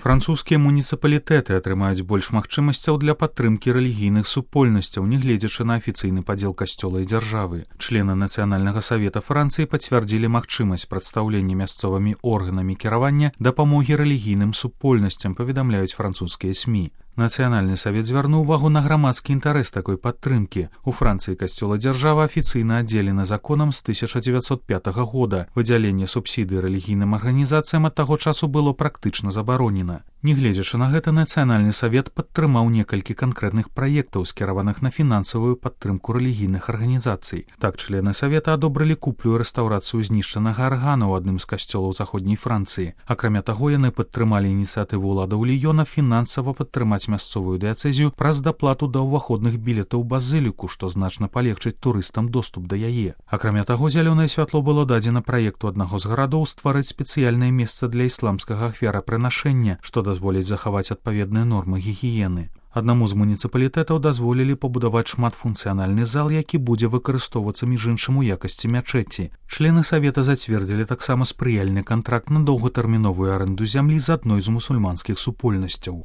Французскія муніцыпалітэты атрымаюць больш магчымасцяў для падтрымкі рэлігійных супольнасцяў, нягледзячы на афіцыйны падзел касцёла і дзяржавы. Члены Нацыянальнага савета Францыі пацвярдзілі магчымасць прадстаўлення мясцовымі органамі кіравання дапамогі рэлігійным супольнасцям, паведамляюць французскія СМІ. Нацыянальны савет звярнуў увагу на грамадскі інтарэс такой падтрымкі. У Францыі касцёл і дзяржава афіцыйна аддзелены законам з 1905 года. Выдзяленне субсідый рэлігійным арганізацыям ад таго часу было практычна забаронена. Нягледзячы на гэта, Нацыянальны савет падтрымаў некалькі канкрэтных праектаў, скіраваных на фінансавую падтрымку рэлігійных арганізацый. Так, члены савета адобрылі куплю і рэстаўрацыю знішчанага аргана ў адным з касцёлаў заходняй Францыі. Акрамя таго, яны падтрымалі ініцыятыву ўладаў Ліёна фінансава падтрымаць мясцовую дыяцэзію праз даплату да ўваходных білетаў базыліку, што значна палегчыць турыстам доступ да яе. Акрамя таго, зялёнае святло было дадзена праекту аднаго з гарадоў стварыць спецыяльнае месца для ісламскага ахвярапрынашэння, што дазволіць захаваць адпаведныя нормы гігіены. Аднаму з муніцыпалітэтаў дазволілі пабудаваць шматфункцыянальны зал, які будзе выкарыстоўвацца між іншым у якасці мячэці. Члены савета зацвердзілі таксама спрыяльны кантракт на доўгатэрміновую арэнду зямлі з адной з мусульманскіх супольнасцяў.